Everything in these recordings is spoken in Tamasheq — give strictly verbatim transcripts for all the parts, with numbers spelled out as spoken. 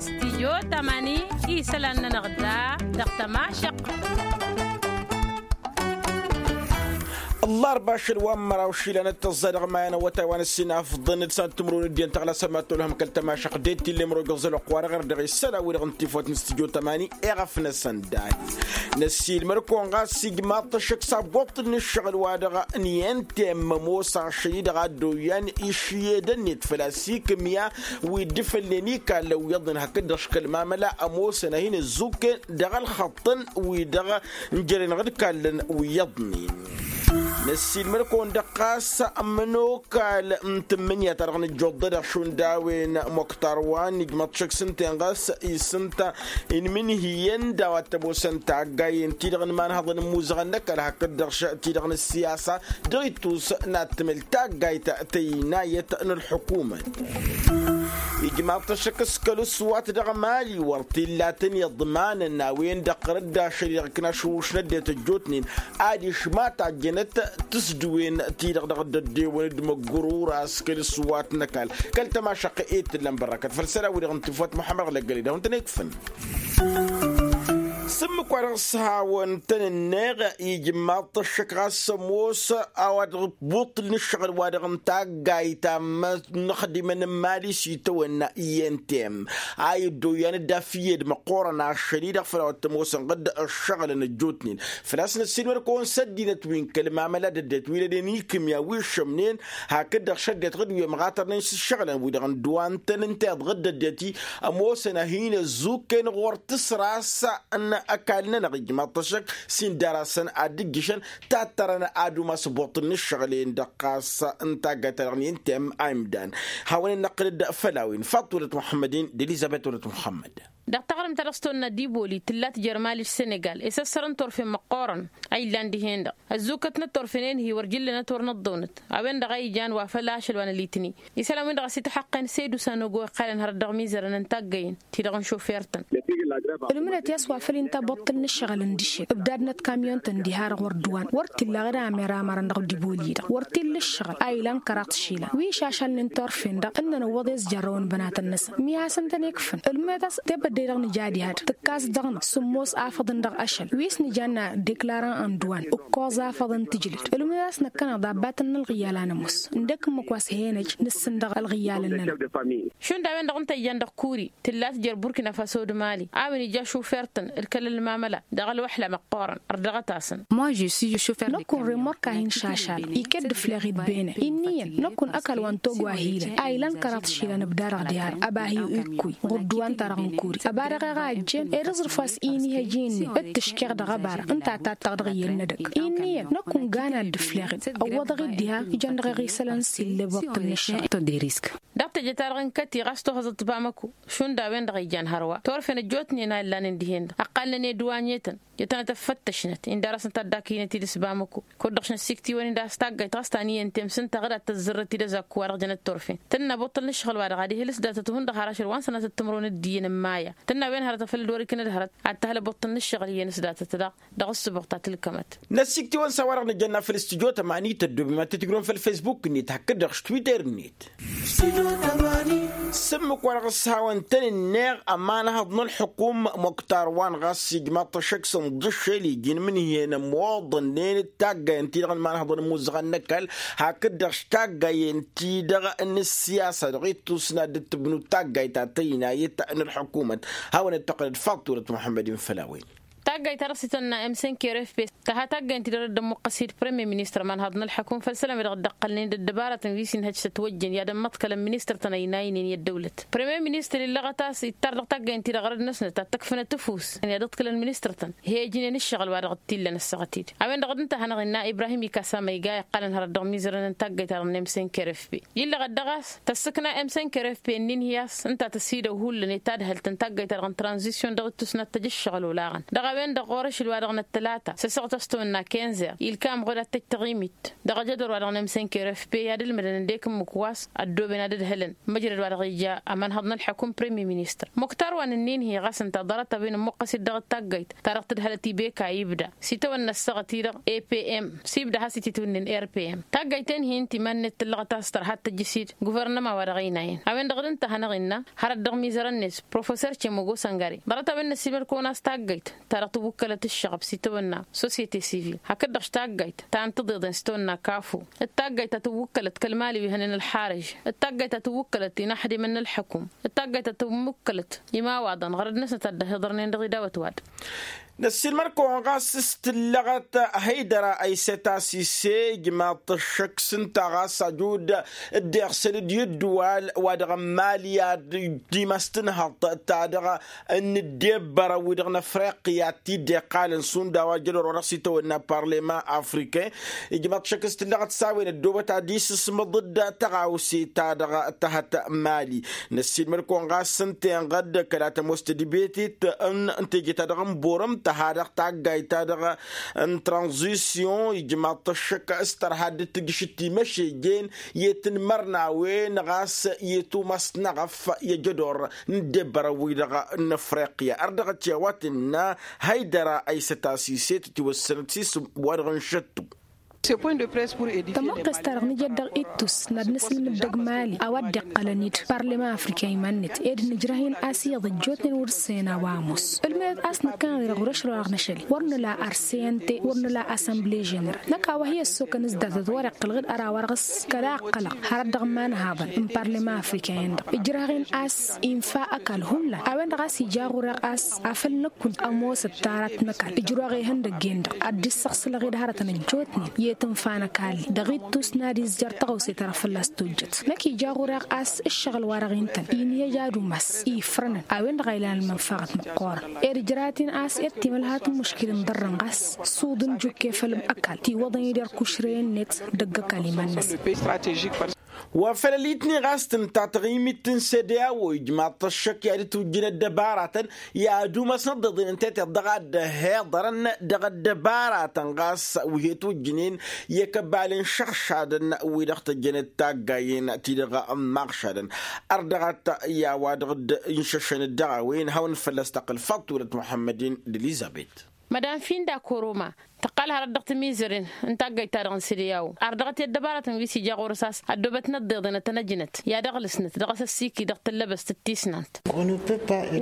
Stijyo tamani isălan-nănăɣ da dăɣ-tămašăq. Ăllarba ašăl wa n-măraw išilan d-tăẓẓa dăɣ-maya n-awătay wa n-ăssinafḍăn d-săn timǝrwen d-iyyăn tăɣlasăn ma t-olhăm kăl-tămašăq d-e t-illa imrojăẓ ălwăqq-wa-dăɣ erdăɣ isălan-wi-dăɣ n-tifawt n-stijyo tamani. Eɣăf-năsăn dahi năssiilmăd-kăwăn ɣas ijmaḍ-t ăššăk s-abboṭṭǝl n-ǝššăɣǝl-wa-dăɣ n-iyyăn temmămoos ašăl-i-dăɣ a dd-oyyan išyedăn-net făl-a-s ikǝmya wi dd-fălnen ikallăn wi iyyăḍnen hakd-dăɣ škăl mamăla ămoosăn a hin-ăzzukken dăɣ-ălxăṭṭăn-wi-dăɣ n-jere-năɣ d-kallăn wi iyyăḍnen. Năssiilmăd-kăwăn-dăɣ ɣas ămănokal n-tǝmmǝnǝya-ta-dăɣ nǝjjoḍ-dăɣ šund a-wen moktar wa n-ijmăḍ šăkk s-ǝnta-en ɣas isǝnta inmǝnhǝyăn d-a-wa t-ămoosăn taggayen-ti-dăɣ n-imanhăḍăn n-imuzăɣăn n-ăkall hakd-dăɣ ti-dăɣ n-ăssiyasa dăɣ-ittus n-ad-tǝmǝl taggayt tăynayăt n-ălḥukumăt. Ijmaḍ-t ăššăk s-kăl-ǝswat dăɣ-mali wăr t-illa tăn-iḍmanăn a-wen-dăɣ ɣărăt d-ašăl-i-dăɣ ǝknaš ušna ăddinăt ăjjootnen adiš ma tajjănăt tǝsdǝwen-ti-dăɣ dăɣ-dd-ăddewăn d-măggurura s-kăl-ǝswat n-ăkall kăl-tămašăq i-tǝllăn bărrăkăt făll-isălan-wi-dăɣ n-tifawt muḥămmăd ɣǝlăggăled a hun-tăn-ikfăn. S-ǝmmǝk wa dăɣ-s-hawăn-tăn-ǝnneɣ ijmaḍ-t ăššăk ɣas ămoos a-wa dăɣ-ibuṭṭǝl n-ǝššăɣǝl-wa-dăɣ n-taggayt ta n-inǝxdimăn n-imali s-itawănna i-n-t-em a iddăw iyyăn dd-afǝyyed măqqoorăn ašăl-i-dăɣ făll-a-wa t-ămoosăn ɣǝdd ǝššăɣǝlăn ăjjootnen făl-a-s năssiilmăd-kăwăn s-ăddinăt wi n-kăl-mamăla d-ăddinăt wi n-ăddinăt n-ikǝmya wi ǝššămnen hakd-dăɣ šăddinăt ɣǝd wi ămɣatărnen s-ǝššăɣǝlăn-wi-dăɣ n-dd-wa ǝntăn ǝnta iḍɣǝd d-ăddinăt-i ămoosăn a hin-ăzzukken ɣur-tǝsras n-ăkall-nănăɣ ijmaḍ-t ăššăk s-indar-asăn ad-dd-ǝjjǝšăn tattărăn ad-umas ăboṭṭǝl n-ǝššăɣǝl-en-dăɣ ɣas n-taggayt-ta-dăɣ n-i n-temmǝn a imdan. Hawăn-in-năqqǝlăd făll-a-wen faḍulăt muḥămmăd-in d-elizăbet wălăt muḥămmăd. Dăɣ-taɣrǝmt ta dăɣ-s tăwănna d-iboli tǝlla tijăr mali d-senegal isăssărăn turfen măqqoorăn a illan dihen-dăɣ ăzzukkătnăt turfen-en-hi wăr jǝllănăt wăr năḍḍăwnăt a-wen-dăɣ a ijan wa făll-ašăl wa n-alitni isălan-win-dăɣ a-s ităḥăqqen sedu s-anogo iqqalăn hărăt dăɣ-imizărăn n-taggăyen ti-dăɣ n-šofer-tăn. Ǝlmǝnăt i-a-s wa făl inta ăboṭṭǝl n-ǝššăɣǝl n-dǝššet ǝbdadnăt kamyon-tăn diha-dăɣ wăr dd-wan wăr t-illa ɣǝd amăr amărăn dăɣ-diboli-dăɣ wăr t-illa ǝššăɣǝl a ilan kăraḍ išilan wi išašalnen turfen-dăɣ ǝnnăn ǝwwăḍ i-ăzjărrăwăn bănatăn-năsăn mi hasăn-tăn-ikfăn ǝlmǝnăt a-s tebădde-dăɣ nǝja diha-dăɣ tǝkkas dăɣ-năɣ sǝmmos afăḍăn dăɣ-ašăl wi s-nǝjanna deklarăn ănduwan ǝkkoẓ afăḍăn tǝjlǝd ǝlmǝnăt a-s năkkăneḍ abbatăn n-ălɣǝyyal a nămoos ǝndek ǝmmǝk wa s-he-năj nǝssǝn dăɣ-ălɣǝyyal-nănăɣ. Šund a-wen-dăɣ ǝnta ijan dăɣ-kuri tǝlla tǝjăr burkina faso d-mali a-wen ija šufer-tăn d-kăl-ălmamăla dăɣ-ălwăḥla măqqoorăn. Ărdăɣăt-asăn. Năkkun remork a hin-šašal iket d-ǝfleɣ-dd bene inn'-iyyăn năkkun ăkall wa n-togo a hi-ilăn a ilan kăraḍ išilan ǝbda-dăɣ diha-dăɣ ăba hi-ikkuy ɣur-dd wa ǝnta-dăɣ n-kuri ăba dăɣ-eɣa ăjjeen ed aẓrǝf wa s-inihăj-i-net d-tǝškeɣ dăɣ-ăba-dăɣ ǝnta a tattăɣ dăɣ-iyyăn n-edăgg inn'-iyyăn năkkun gan ad-dd-ǝfleɣ-dd ăwwăḍăɣ-dd diha ijăn dăɣ-eɣa isălan s-illăbăṭṭăn n-ăššăɣǝl. Dăɣ-teje-ta-dăɣ n-kăti ɣas tohăẓăt bamăko šund a-wen-dăɣ ijan hărwa turfen ăjjootnen a ǝllanen dihen-dăɣ ăqqalnen i-ădduwanyetăn jătănăt ăffăttăšnăt indar-asăn taddakăynăt-dd s-bamăko kud-dăɣ šnăssiktiwăn-in d-a-s taggayt ɣas ta n-iyyăn temsǝnta ɣǝd ad-tăzzărrăt-dd ăzakku wa dăɣ-jănăt turfen tǝnna abuṭṭǝl n-ǝššăɣǝl-wa-dăɣ ad-ihǝl s-datăt hundăɣ har ašăl wa n-sănatăt timǝrwen d-iyyăn n-maya tǝnna a-wen hărăt a făl dd-wăr-iknăd hărăt ad-t-ăhlăbuṭṭǝl n-ǝššăɣǝl iyyăn s-datăt daɣ dăɣ-ǝssǝbuɣ ta tǝlkămăt. Năssiktǝwăn s-a-wa-dăɣ nǝjănna făll-studyo tămani tăddoobem ad-t-tǝjrǝwăn făll-fesbuk-net hakd-dăɣ s-twitter-net. S-ǝmmǝk wa dăɣ-s hawăn-tăn-ǝnneɣ ămanhăḍ n-ălḥukum muktar wa n-ɣas ijmaḍ-t ăššăk s-ǝnḍǝššel iji n-imǝnhǝyăn ămoḍănnen d-taggayen-ti-dăɣ n-imanhăḍăn n-imuzăɣăn n-ăkall hakd-dăɣ s-taggayen-ti-dăɣ n-ǝssiyasa dăɣ-ittus n-ad-dd-tǝbnu taggayt ta tăynayăt n-ălḥukumăt. Hawăn-dd-tăqqǝlăd faḍt turăt muḥămmăd-in făll-a-wen. Taggayt ta dăɣ-s itănna m cinq r f p tăha taggayt-ti-dăɣ dd-ămmuqqăs-dd premier ministăr imanhăḍ n-ălḥăkum făll-isălan wi-dăɣ dd-ăqqălnen d-ăddăbarătăn wi s-inhăj s-ătwăjjăn i-ad-ămmăḍkălăn ministăr-tăn ăynaynen i-ăddăwlăt premier ministăr illăɣăt a-s ittar dăɣ-taggayt-ti-dăɣ ɣărăd-năsnăt ad-tǝkfǝnăt ăfuss i-ad-ǝḍkǝlăn ministăr-tăn. He ǝjnen ǝššăɣǝl wa dăɣ-t-illăn ăssaɣăt-dd a-wen-dăɣ d-ǝnta a hanăɣ-innă ibrahim ikasa ma iga iqqălăn hărăt dăɣ-imizărăn n-taggayt-ta-dăɣ n-m cinq r f p. Illăɣăt dăɣ-a-s tăssǝkna m cinq r f p ǝnnin hi-a-s ǝnta tăsidăw hullan i-tadhălt n-taggayt-ta-dăɣ n-tranzisyon dăɣ-ittus n-ad-tăj ǝššăɣǝl olaɣăn dăɣ-a-wen. Dăɣ-orăšǝl wa dăɣ-năttălata s-ăsăɣt a-s tăwănna kenzer ilkam ɣud ad-tăjj taɣimit dăɣ-ajădor wa dăɣ-nemsen keref pe i-ad-ǝlmǝdăn ăndek ǝmmǝk wa s-ăddooben ad-ǝdhǝlăn măjrăd wa dăɣ-ija ămănhăḍ n-ălḥăkum premier ministăr muktar wa n-ǝnnin-hi ɣas ǝnta ḍarăt-a-wen ǝmmuqqăs-dd dăɣ-taggayt ta dăɣ-tǝdhălăt ibeka ibda s-itawănna ăssaɣăt-i-dăɣ epm s-ibda has-ititwǝnnin epm taggayt-en-hi ǝnta iman-net tǝllăɣăt a-s tărha ad-tăjjǝs-dd guvărnăma wa dăɣ-ăynayăn a-wen-dăɣ d-ǝnta a hanăɣ-innă hărăt dăɣ-imizărăn-net professor cemăgo săngăre ḍarăt-a-wen n-ăssiilmăd-kăwăn a-s taggayt ta dăɣ-tǝwwǝkkălăt ǝššăɣăb s-itawănna sosyete sivil hakd-dăɣ taggayt ta n-tiḍeḍen s-itawănna kafo d-taggayt ta tǝwwǝkkălăt kăl-imali wi hănen ălxarǝj d-taggayt ta tǝwwǝkkălăt inaxdimăn n-ălḥăkum d-taggayt ta tǝwwǝkkălăt imawaḍăn ɣărăd-năsnăt ad-dd-ăhiḍărnen dăɣ-idawăt wa-dăɣ. Năssiilmăd-kăwăn ɣas s-tǝllăɣăt hăydăra ăysăt a-s ise ijmaḍ-t ăššăk s-ǝnta ɣas ajud dd-iɣsǝl-dd i-ǝddǝwal wa dăɣ-n mali ad-dd-imas tǝnhăḍt ta dăɣ-nǝddebbărăn wi-dăɣ n-afriqya t-dd-iqqalăn šund a-wa jădor wa dăɣ-s itawănna parlăman afriken ijmaḍ-t ăššăk s-tǝllăɣăt s-a-wen ăddoobăt ad-isǝsmǝḍ-dd tăɣawse ta dăɣ-tăhăt mali. Năssiilmăd-kăwăn ɣas ǝnta-en-dăɣ kăla tămoos tedbetet n-teje-ta-dăɣ n-borăm tăha dăɣ-taggayt-ta-dăɣ n-tranzisyon ijmaḍ-t ăššăk s-tărha dd-tǝjjǝšǝt timăšejen i-tǝnmărnawen ɣas i-tumas n-aɣăf i-ajădor n-ăddebbărăn-wi-dăɣ n-afriqya ărdăɣăt i-a-wa tǝnna hăydăra ăysăt a-s iset ătiwăssănăt s-isǝm wa-dăɣ n-šăttu. Tămoqqes-ta-dăɣ nǝjăd dăɣ-ittus n-ad-nǝsǝlmǝd dăgg-mali a-wa dd-iqqălăn-dd parlăman afrikan iman-net ed nǝjrăh-in a-s iyyăḍ ăjjootnen wăr-ǝssăyăn a-wa ămoos ǝlmǝdăt a-s nǝkkăneḍ-i-dăɣ wăr-ăšrăwăɣ n-ašăl-i wăr nǝla arse ănte wăr nǝla asănble ženăral năkk a-wa hi-ăssokăn s-datăt wăr-iqqăl ɣǝd ărawărɣǝs kăla ăqqălăɣ hărăt dăɣ-imanhaḍăn n-parlăman afrikan-in-dăɣ ǝjrăh-in a-s infa ăkall hullan a-wen-dăɣ a-s ija ɣur-eɣ a-s afăl năkk kunta ămoosăt tarat n-ăkall ǝjrăwăɣ ihăndăgg-en-dăɣ ad-dd-issăɣsǝlăɣ-dd hărătăn ăjjootnen i-tǝnfa n-ăkall-i dăɣ-ittus n-ad-izjăr tăɣawse-ta-dăɣ fălla-s tojjăt năkk ija ɣur-eɣ a-s ǝššăɣǝl wa dăɣ-intăn inhăj ad-umas ifrănăn a-wen-dăɣ a ilan ălmănfaɣăt măqqoorăn ed ǝjraten a-s ed timălhat n-muškil n-iḍărrăn ɣas s-uḍǝn jukke făll-ăkall tiwwăḍăn-dd erk ušrăy-net dăgg-ăkall iman-năsăn. Wa făll-ălitni ɣas tǝnta taɣimit n-sede a-wo ijmaḍ-t ăššăk i-ad-dd-tujjǝn ăddăbaratăn i-ad-umasnăt ḍeḍen n-teteḍ dăɣ-ad-dd-ăhiḍărăn dăɣ-ăddăbaratăn ɣas wi he-tujjǝnen i-kăbal n-išăɣšadăn wi-dăɣ tăjjănăt taggayen-ti-dăɣ n-imaɣšadăn. Ărdăɣăt i-a-wa dăɣ-dd-inšăšăn dd-dăɣ-a-wen hawăn-dd fălla-s tăqqǝl faḍt wălăt muḥămmăd-in d-elizăbet. Mădam finda koroma tăqqal hărăt dăɣ-timizăren n-taggayt-ta-dăɣ n-sede a-wo ardăɣăt i-ăddăbarătăn wi s-ija ɣur-s a-s ăddoobăt n-ăḍḍeḍen ad-tăn-ăjnăt i-ad-ăɣlǝsnăt dăɣ-s ăssiiki dăɣ-tǝllăbăst d-tisnant.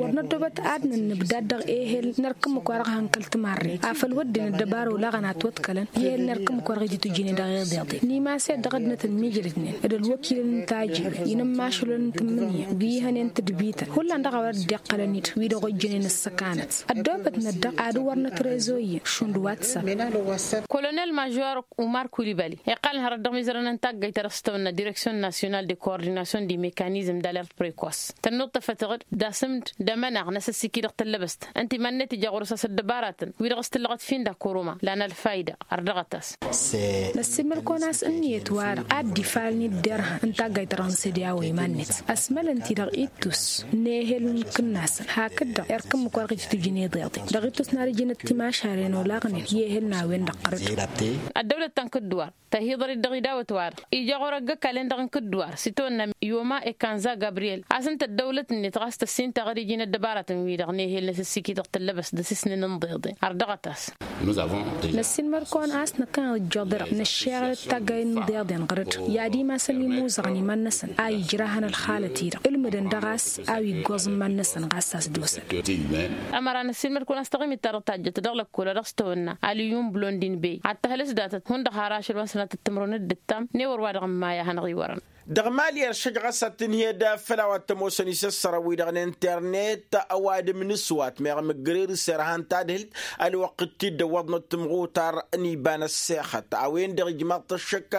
Wăr năddoobăt ad-nǝnnǝbdad dăɣ-ehel n-erk ǝmmǝk wa dăɣ-ehăn kăl-timarre afăl wădden ăddăbara olaɣăn a ătwăḍkălăn i-ehel n-erk ǝmmǝk wa dăɣ-ijǝtwǝjǝnen dăɣ-eḍeḍe n-imas-e-dd dăɣ-ăddinăt ǝmmijrǝdnen d-ălwăkilăn n-tajiwen i-inǝmmašulăn n-tǝmmǝnǝya d-ihănen tǝdbităn hullan dăɣ-a-wa dd-iqqălăn-dd wi-dăɣ ojjănen ǝssăkanăt. Ăddoobătnăt-dăɣ ad-wărnăt rezo-iyyăn šund whatsapp. Kolonel mažor umar kulibali iqqalăn hărăt dăɣ-mizărăn n-taggayt ta dăɣ-s tăwănna direksyon nasyonal de koordinasyon de mekanizm d-alert prekos tănnuḍtăfăt-dăɣ d-asǝmd d-amănaɣ n-asăssiki dăɣ-tăllăbăst ǝnta iman-net ija ɣur-s a-s ăddăbaratăn wi-dăɣ s-tǝllăɣăt finda koroma lan ălfayda. Ărdăɣăt-as. Năssiilmăd-kăwăn a-s ǝnniyăt-wa-dăɣ a dd-ifalăn-dd derhan n-taggayt-ta-dăɣ n-sede a-wa iman-net ăsmălăn-t-i dăɣ-ittus n-ehel n-kǝnnasăn hakd-dăɣ erk ǝmmǝk wa dăɣ-ititujǝn iḍeḍen dăɣ-ittus n-ad-ǝjǝnăt timašaren olaɣnen i-ehel n-a-wen-dăɣ ɣărăt. Ăddăwlăt ta n-kǝddǝwar tăhiḍăr-dd dăɣ-idawăt-wa-dăɣ ija ɣur-ăgg-ăkall-en-dăɣ n-kǝddǝwar s-itawănna yoma ekanza gabriyel a-s ǝnta ăddăwlăt-net ɣas tăssin taɣăr iji n-ăddăbaratăn-wi-dăɣ n-ehel n-asǝssikit dăɣ-tăllăbăst d-asǝsnen n-iḍeḍen ardăɣăt-as. Năssiilmăd-kăwăn a-s năkkăneḍ ǝjjoḍ-dăɣ năššeɣăl d-taggayen n-iḍeḍen ɣăr-dd i-ad-imasăn imuzăɣăn iman-năsăn a ijrahăn ălxalăt-i-dăɣ ǝlmǝdăn dăɣ-a-s a-wa iggoẓ n-iman-năsăn ɣas a-s dd-osăn. Ămăra năssiilmăd-kăwăn a-s taɣimit-ta-dăɣ tajjăt dăɣ-lăkkol a dăɣ-s tăwănna aliyum blondin bey ad-tăhǝlǝs datăt hundăɣ har ašăl wa n-sănatăt timǝrwen d-ǝttam n-ewăr wa dăɣ-n maya hanăɣ-iwărăn. Dăɣ-mali ăršăj ɣas ad-tǝnhǝyăd făll-a-wa t-ămoosăn isăssărăn-wi-dăɣ n-internet ăwadǝm n-aswat meɣ mǝggărerǝs irhan tadhǝlt ălwăqq t-dd-ăwwăḍnăt timɣutar n-iba n-ăssexăt a-wen-dăɣ ijmaḍ-t ăššăk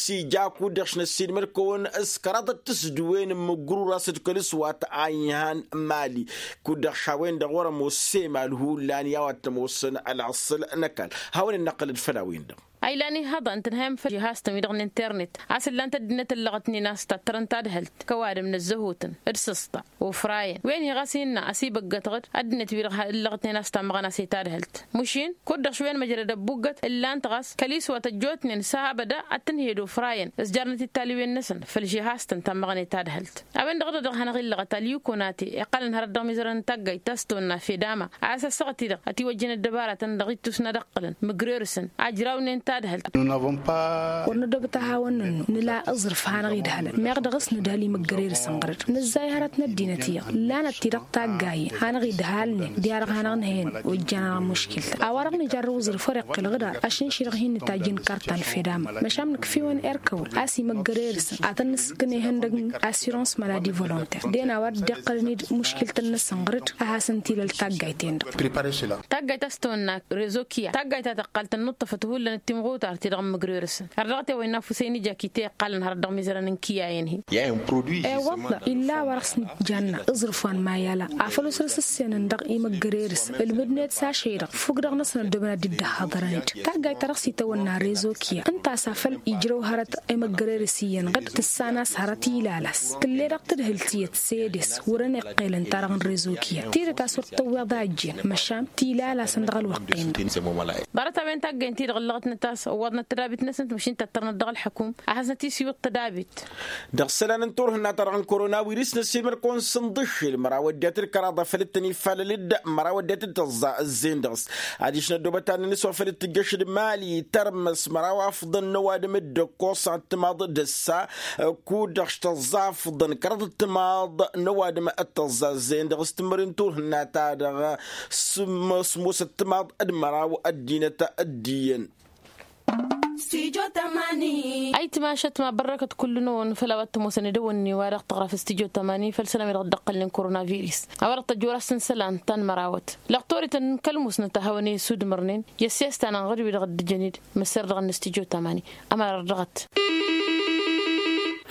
s-ija kud-dăɣ šnăssinmăd-kăwăn s-kăraḍăt tisǝdduwen n-mǝggărur a-s d-kăl-aswat a inhan mali kud-dăɣ š-a-wen-dăɣ wăr-ămoos s-emal hullan i-a-wa t-ămoosăn ălaṣṣăl n-ăkall. Hawăn-dd-năqqǝlăd făll-a-wen-dăɣ. A ilan ihăḍa n-tǝnhăyăm făll-žihaz-tăn wi-dăɣ n-internet a-s ǝllan-t ăddinăt ăllăɣătnen a-s tattărăn tadhǝlt kăwadǝm n-ăzzăhutăn d-sǝsṭa. Ufrayăn wen-hi ɣas innă ăsibăggătăɣ-dd ăddinăt-wi-dăɣ ǝllăɣătnen a-s tammăɣăn a-s i-tadhǝlt. Măšin kud-dăɣ šwen măjrăd ăbbuggăt ǝllan-t ɣas kăliswat ăjjootnen s-ha abăda ad-tǝnhǝyăd ufrayăn s-jarnăt i-talwen-năsăn făll-žihaz-tăn tammăɣăn i-tadhǝlt. A-wen-dăɣ dăɣ-dăɣ hanăɣ-illăɣăt alyu konate iqqălăn hărăt dăɣ-mizărăn n-taggayt ta s-tawănna fedama a-s ăssaɣăt-i-dăɣ ătiwăjjăn ăddăbaratăn dăɣ-ittus n-ad-ǝqqǝlăn mǝgrerǝsăn ajrawnen tadhǝlt. Wăr nădobăt a hawăn-nănnu nǝla aẓrǝf hanăɣ-idhălăn meɣ dăɣ-s nǝdhăl imǝggărerǝsăn ɣăr-dd nǝzzay hărăt n-ăddinăt iyyăḍ. Lanăt-ti-dăɣ taggayen hanăɣ-idhălnen diha-dăɣ hanăɣ-nǝhăyăn ojjan-anăɣ muškil-tăn a-wa-dăɣ nǝjarrăw aẓrǝf wăr-iqqǝl ɣǝdar ašǝnši-dăɣ hin-nǝtajj n-karta n-fedama. Măšan nǝkf'-iwăn erkăwăl a-s imăggăre-dăɣ-săn ad-tăn-nǝssǝkkǝn ihăndăg n-assurance maladi volonter d-en a-wa dd-iqqălăn-dd muškil-tăn-năsăn ɣăr-dd a hasăn-t-ilăl taggayt-en-dăɣ. Taggayt a-s tawănna rezo kiya taggayt ta tăqqal tănnuṭṭăfăt hullan d-timɣutar-ti-dăɣ n-imǝgre-dăɣ-săn har dăɣ-t i-wa innă afusăy n-ija kităy iqqalăn hărăt dăɣ-mizărăn n-kiyayen-hi. E-wălla illa a-wa dăɣ-s nǝjjanna aẓrǝf wa n-mayala afăl osrăs ǝssenăn dăɣ-imăggăre-dăɣ-săn ǝlmǝdnet s-ašăy-dăɣ fukk-dăɣ-năsăn ăddooben ad-dd-ăhhăḍărăn-dd. Taggayt ta dăɣ-s itawănna rezo kiya ǝnta a-s afăl ijrăw hărăt imăggăre-dăɣ s-iyyăn ɣǝd tǝssan a-s hărăt ilal-as tǝlle dăɣ-tadhǝlt iyyăt s-edes wăren iqqel ǝnta-dăɣ n-rezo kiya tidǝt a-s wăr t-tăwweḍ a ăjjeen măšan tilal-asăn dăɣ-ălwăqq-en-dăɣ. Ḍarăt-a-wen taggayt-ti-dăɣ ǝllăɣătnăt a-s ăwwaḍnăt tădabit-năsnăt măšin tattărnăt dăɣ-ălḥăkum a hasnăt-isiwǝḍ tădabit. Dăɣ-isălan n-turhǝnna-ta-dăɣ n-korona wirǝs năssiilmăd-kăwăn sǝnḍǝššǝl măraw ăddinăt d-kăraḍ a făl dd-tăn-ifalăl d-măraw ăddinăt d-tăẓẓa ǝzzin dăɣ-s adiš n-ăddoobăt ad-nǝnǝswa făl dd-tǝjjăš d-mali tărmăs măraw afḍăn n-ăwadǝm d-ǝkkoṣ ad-timaḍ d-ǝssa. Kud-dăɣ s-tăẓẓa afḍăn kăraḍ d-timaḍ n-ăwadǝm d-tăẓẓa ǝzzin dăɣ-s tǝmmări n-turhǝnna-ta-dăɣ. Sǝmmos sǝmmos d-timaḍ d-măraw ăddinăt d-iyyăn. Ayǝtmašăt ma bărrăkăt kull-năwăn făll-a-wa t-ămoosăn edăwănni wa dăɣ-tăɣraf s-tijo tamani făll-isălan wi dăɣ-dd-ăqqălnen korona virǝs a-wa dăɣ-tăjjor asǝnsălan ta n-mărawăt lăqtorităn kăl-musnăt a hawăn-e-sudmărnen i-ăssiyăs ta n-anɣăd wi dăɣ-dd-ǝjăn-dd măsserdăɣăn n-stijo tamani. Ămărar dăɣ-t.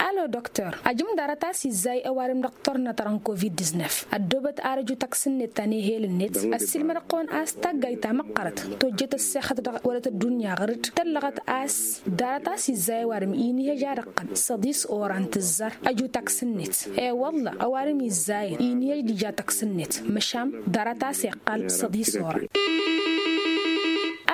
Alo dăktor ajǝm ḍarăt a-s izzay ăwadǝm dăɣ-turhǝnna ta dăɣ-n covid-disnef ăddoobăt ar ăjut ăksǝnnet ta n-ehel-net ăssiilmăd-ăɣ-kăwăn a-s taggayt ta măqqărăt tojjăt ăssixăt dăɣ-wălăt ăddunya ɣăr-dd tăllăɣăt a-s ḍarăt a-s izzay ăwadǝm inihăj ad-ăqqăl săḍis oran tǝzzar ăjut ăksǝnnet. I-wălla ăwadǝm izzayăn inihăj d-ija tăksǝnnet măšan ḍarăt a-s iqqal săḍis oran.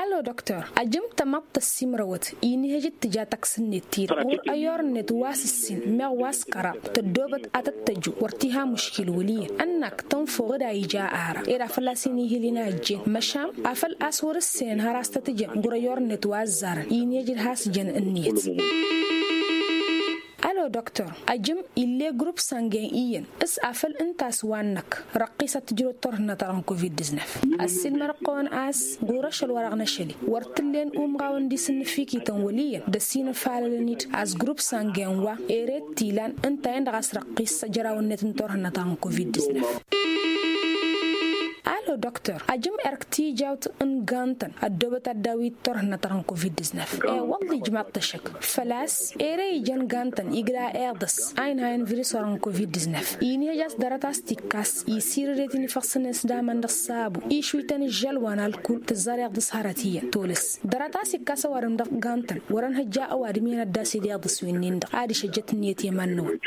Alo dăktor ajǝm tămaḍt tăssimrăwăt inihăj d-tǝja tăksǝnnet-ti-dăɣ ɣur-ăyor-net wa s-ǝssin meɣ wa s-kăraḍ tăddoobăt ad-tăt-tăju wăr t-iha muškil wăl' iyyăn ănnak tănfăw d-a ija ara ed a fălla-s inihǝl-in a ăjjeen măšan afăl a-s wăr-ǝssenăn har a-s tăt-ǝjăn ɣur-ăyor-net wa ăzzarăn inihăj d-has-jăn ǝnniyăt. Alo dăktor ajǝm ill'-e grup sangin iyyăn s-afăl ǝnta a-s wa-năk răqqis ad-tǝjrăw turhǝnna ta dăɣ-n covid-disnef ăssiilmăd-ăɣ-kăwăn a-s ɣur-ašăl wa dăɣ-năšăli wăr t-ǝllen umɣawăn d-isǝnnǝfikităn wăl' iyyăn d-ăsinăfalălăn-dd a-s grup sangin wa ere t-ilan ǝnta-en-dăɣ a-s răqqis ăjrawăn-net n-turhǝnna ta dăɣ-n covid-disnef. Alo dăktor ajǝm erk tijawt n-gantăn ăddoobăt ad-daw-i d-turhǝnna ta dăɣ-n covid-disnef e-wălla ijmaḍ-t ăššăk făl-a-s ere ijăn gantăn igla iḍǝs a inhayăn virus wa dăɣ-n covid-disnef inihăj a-s ḍarăt a-s t-ikkas isirǝdet-in ifăɣsǝnen s-damăn dăɣ-sabu išwităn ǝžžăl wa n-alkul tǝzzar iḍǝs hărăt iyyăn tolăs ḍarăt a-s ikkas ăwadǝm dăɣ-gantăn wăr-ănhăjja ăwadǝm iyyăn ad-dd-asid iḍǝs wi-nin-dăɣ adiš ăjjăt ǝnniyăt i-iman-năwăn.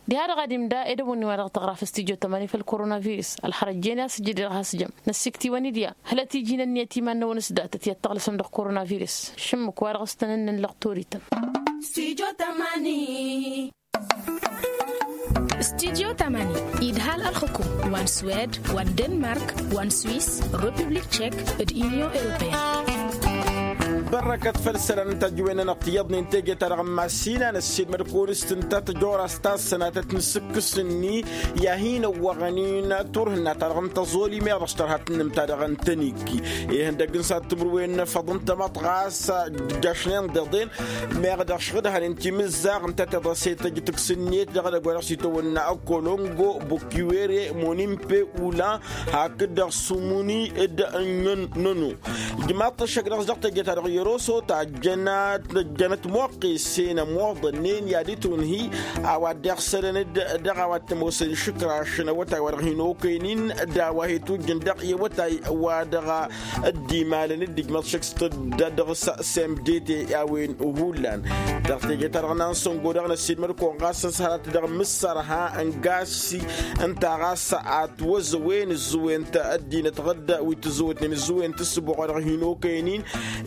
Diha-dăɣ ad-imda edăwănni wa dăɣ-tăɣraf s-tijo tămani făll-korona virǝs ălxărăt jen i-asǝjjǝd i-dăɣ has-jăm năssiktǝwăn-dd i-ad-hălăt iji n-ǝnniyăt i-iman-năwăn s-datăt i-ad-tăɣlăsăm dăɣ-korona virǝs šǝmmǝk wa dăɣ-s tăn-ǝnnǝnlăɣ torităn. Studio tămani idhal ălxǝkum wa n-swed wa n-denmark wa n-swis, republik tšek d-inyon europeyăn. Bărrăkăt făll-isălan n-tajǝwen-nănăɣ tiyyăḍnen teje-ta-dăɣ n-mass-in a năssiilmăd-kăwăn s-tǝnta tăjorast ta s-sănatăt n-asǝkkǝs-ni i-ad-hin-ăwwăɣăn-in turhǝnna-ta-dăɣ n-tăẓoli meɣ dăɣ-s tărha tǝnnǝm-ta-dăɣ n-tăniggi. Ihăndăgg n-sad timǝrwen n-efăḍ n-tamăḍt ɣas dd-jašnen deḍen meɣ dăɣ-s ɣǝdhănen timǝzzaɣ ǝnta tiḍăset tăjj tǝks-net dăɣ-edăgg wa dăɣ-s itawănna ăkkolongo bukiwere monimpe ulan hakd-dăɣ sumuni d-năno. Ijmaḍ-t ăššăk dăɣ-s dăɣ-teje-ta-dăɣ. Roso tajjănăt tajjănăt moqqes-en ămoḍănnen i-ad-itunhi a-wa dd-iɣsălăn-dd dăɣ-a-wa t-ămoosăn išǝkrašăn awătay wa dăɣ-hin-okăynin d-a-wa he-tujjǝn dăɣ-i awătay wa dăɣ-dd-imalăn-dd ijmăḍ šăkk s-tădda dăɣ-s semdete i-a-wen hullan. Dăɣ-teje-ta-dăɣ n-ansăngo-dăɣ năssiilmăd-kăwăn ɣas ăshărat dăɣ-mǝssărha n-gasi ǝnta ɣas a ătwăzăwen ǝzzǝwen-t ăddinăt ɣǝdda wi tǝzzǝwătnen ǝzzǝwen-t ǝssǝboɣ wa dăɣ-hin-okăynin.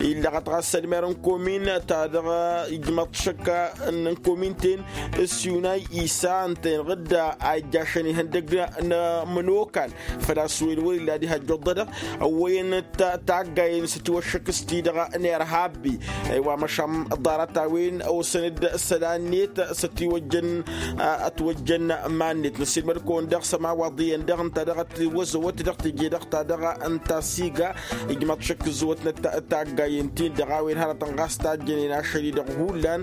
Illăɣăt ɣas ălmer n-komin-ta-dăɣ ijmăḍ šăkk n-komin-ten s-yunay isa ǝnta-en ɣǝdda a ijjašăn ihăndăg n-amănokan făl-a-s wen wăr-illa ad-ihăjjăḍ-dăɣ ăwwăyăn taggayen s-ătiwăššăk s-ti-dăɣ n-irhabbi. Wa măšan ḍarăt-a-wen osăn-dd isălan-net s-ătiwăjjăn ătwăjjăn iman-net năssiilmăd-kăwăn dăɣ-sămawaḍ iyyăn dăɣ-ǝnta dăɣ-ătwăzăwăt dăɣ-teje-dăɣ-ta-dăɣ ǝnta s-iga ijmăḍ šăkk ǝzzǝwătnăt taggayen-tin-dăɣ a-wen hărătăn ɣas tajjănen ašăl-i-dăɣ hullan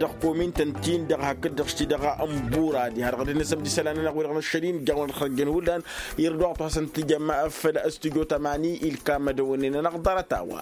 dăɣ-komin-tăn-tin-dăɣ hakd-dăɣ š-ti-dăɣ n-buradi har dăɣ-dd-nǝsăm d-isălan-nănăɣ wi-dăɣ n-ašăl-in ijjaɣ-wen ălxărjăn hullan. Irduɣ-t wa hasăn-tǝjăm făll-stujo tămani ilkam ad-ăwănnen ănăɣ ḍarăt-a-wa.